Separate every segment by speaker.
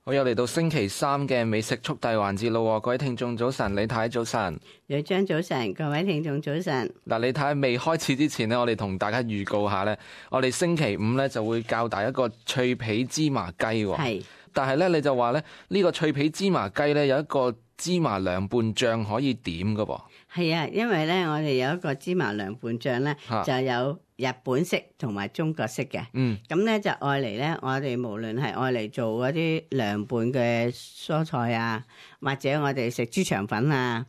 Speaker 1: 好，又嚟到星期三嘅美食速遞環節咯，各位聽眾早晨，李太早晨，
Speaker 2: 銳章早晨，各位聽眾早晨。
Speaker 1: 嗱，李太未開始之前呢，我哋同大家預告下呢，我哋星期五呢就會教大一個脆皮芝麻雞喎。
Speaker 2: 係，
Speaker 1: 但係呢，你就話呢，呢個脆皮芝麻雞呢有一個芝麻涼拌醬可以點噶噃。
Speaker 2: 係啊，因為咧我哋有一個芝麻涼拌醬咧，就有日本式同埋中國式嘅。咁咧就愛嚟咧，我哋無論係愛嚟做嗰啲涼拌嘅蔬菜啊，或者我哋食豬腸粉啊，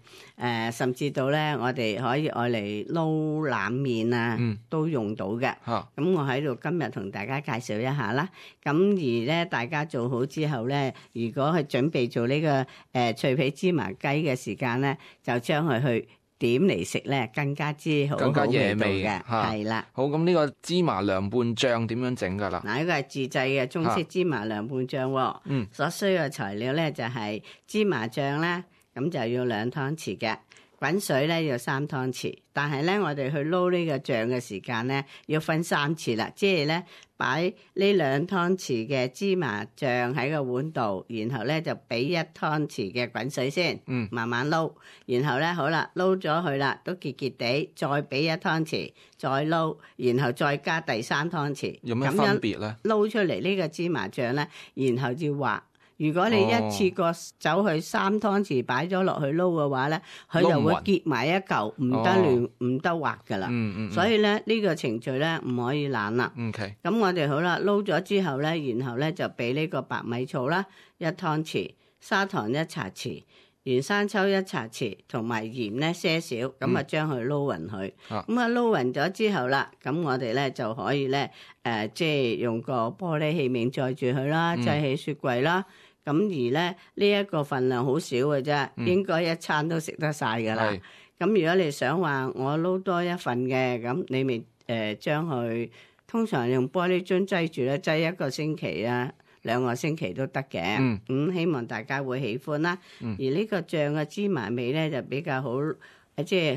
Speaker 2: 甚至到咧我哋可以愛嚟撈冷麵啊，都用到嘅。咁我喺度今日同大家介紹一下啦。咁而咧大家做好之後咧，如果係準備做呢個脆皮芝麻雞嘅時間咧，就將佢去點嚟食咧，更加之好，
Speaker 1: 更加惹味
Speaker 2: 嘅，係啦。
Speaker 1: 好，咁呢個芝麻涼拌醬點樣整噶啦？
Speaker 2: 嗱，呢個係自製嘅中式芝麻涼拌醬。所需要嘅材料咧就係芝麻醬咧，咁就要2湯匙嘅。滾水咧要3湯匙，但係咧我哋去撈呢個醬嘅時間咧要分3次啦，即係咧擺呢2湯匙嘅芝麻醬喺個碗度，然後咧就俾1湯匙嘅滾水先，慢慢撈，然後咧好啦，撈咗佢啦，都結結地，再俾1湯匙，再撈，然後再加第3湯匙，
Speaker 1: 有咩分別咧？
Speaker 2: 撈出嚟呢個芝麻醬咧，然後要滑。如果你一次過走去3湯匙擺咗落去撈嘅話咧，佢就會結埋一嚿，唔得亂，唔得滑噶啦。所以咧呢個程序咧唔可以懶啦。咁我哋好啦，撈咗之後咧，然後咧就俾呢個白米醋啦1湯匙，砂糖1茶匙，原生抽1茶匙，同埋鹽咧些少，咁啊將佢撈勻佢。咁啊撈勻咗之後啦，咁我哋咧就可以咧即係用個玻璃器皿載住佢啦，擠喺雪櫃啦。咁而咧呢一個份量好少嘅啫，應該一餐都食得晒噶啦。咁如果你想話我撈多一份嘅，咁你咪將佢通常用玻璃樽擠住咧，擠1個星期啊，2個星期都得嘅。咁希望大家會喜歡啦。而呢個醬嘅芝麻味咧就比較好，即係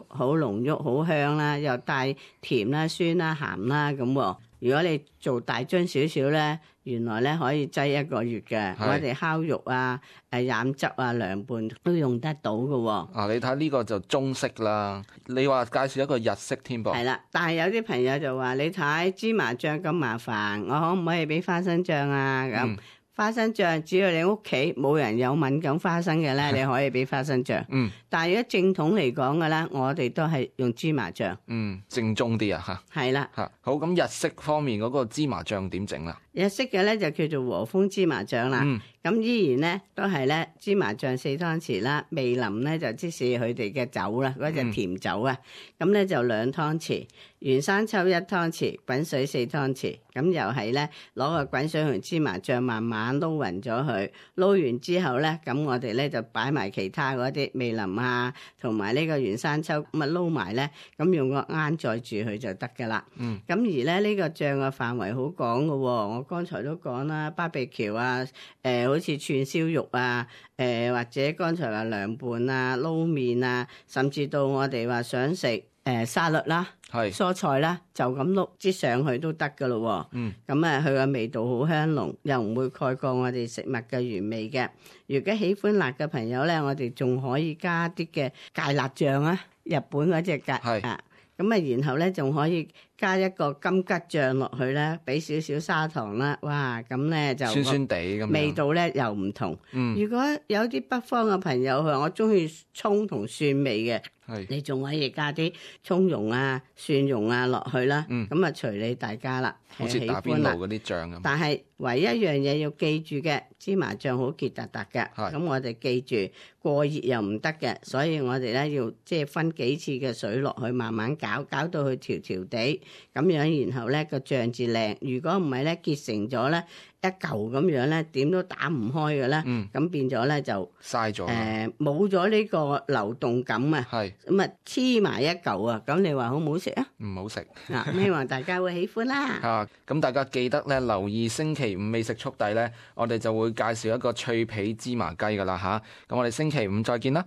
Speaker 2: 好濃郁、好香啦，又帶甜啦、酸啦、鹹啦咁。如果你做大樽少少咧，原來咧可以擠1個月嘅。我哋烤肉啊、染汁啊、涼拌都用得到嘅。
Speaker 1: 你睇呢個就中式啦，你話介紹一個日式添噃。
Speaker 2: 係啦，但係有啲朋友就話：你睇芝麻醬咁麻煩，我可唔可以俾花生醬啊？咁花生醬只要你屋企冇人有敏感花生嘅咧，你可以俾花生醬。但係如果正統嚟講嘅咧，我哋都係用芝麻醬。
Speaker 1: 正宗啲啊嚇。
Speaker 2: 係啦。
Speaker 1: 好，咁日式方面嗰個芝麻醬點整啦？
Speaker 2: 日式嘅咧就叫做和風芝麻醬啦。咁依然咧都係咧芝麻醬4湯匙啦，味淋咧就即是佢哋嘅酒啦，嗰隻甜酒啊。咁咧就2湯匙，原生抽1湯匙，滾水4湯匙。咁又係咧攞個滾水同芝麻醬慢慢撈勻咗佢，撈完之後咧，咁我哋咧就擺埋其他嗰啲味淋啊，同埋呢個原生抽咁啊撈埋咧，咁用個罌載住佢就得噶啦。咁而咧呢個醬嘅範圍好廣噶喎，我剛才都講啦，BBQ啊，好似串燒肉啊，或者剛才話涼拌啊、撈麵啊，甚至到我哋話想食沙律啦、蔬菜啦，就咁碌擠上去都得噶咯。咁啊，佢嘅味道好香濃，又唔會蓋過我哋食物嘅原味嘅。如果喜歡辣嘅朋友咧，我哋仲可以加啲嘅芥辣醬啊，日本嗰隻芥啊。咁啊，然後咧仲可以加一個金桔醬落去咧，俾少少砂糖啦，哇！咁咧就
Speaker 1: 酸酸地咁，
Speaker 2: 味道咧又唔同。如果有啲北方嘅朋友佢話我中意葱同蒜味嘅，你仲可以加啲葱蓉啊、蒜蓉啊落去啦。咁啊，隨你大家啦，
Speaker 1: 好似打邊爐嗰啲醬咁。
Speaker 2: 但係唯一一樣嘢要記住嘅，芝麻醬好結突突嘅。咁我哋記住過熱又唔得嘅，所以我哋咧要即係分幾次嘅水落去，慢慢搞到佢條條地咁樣，然後咧個醬至靚。如果唔係咧結成咗咧一嚿咁樣咧，點都打唔開嘅咧。咁變咗咧就
Speaker 1: 嘥咗，
Speaker 2: 冇咗呢個流動感啊。咁啊黐埋一嚿啊，咁你話好唔好食啊？唔
Speaker 1: 好食。
Speaker 2: 咁希望大家會喜歡啦。
Speaker 1: 咁大家記得咧留意星期五美食速遞咧，我哋就會介紹一個脆皮芝麻雞噶啦嚇。咁我哋星期五再見啦。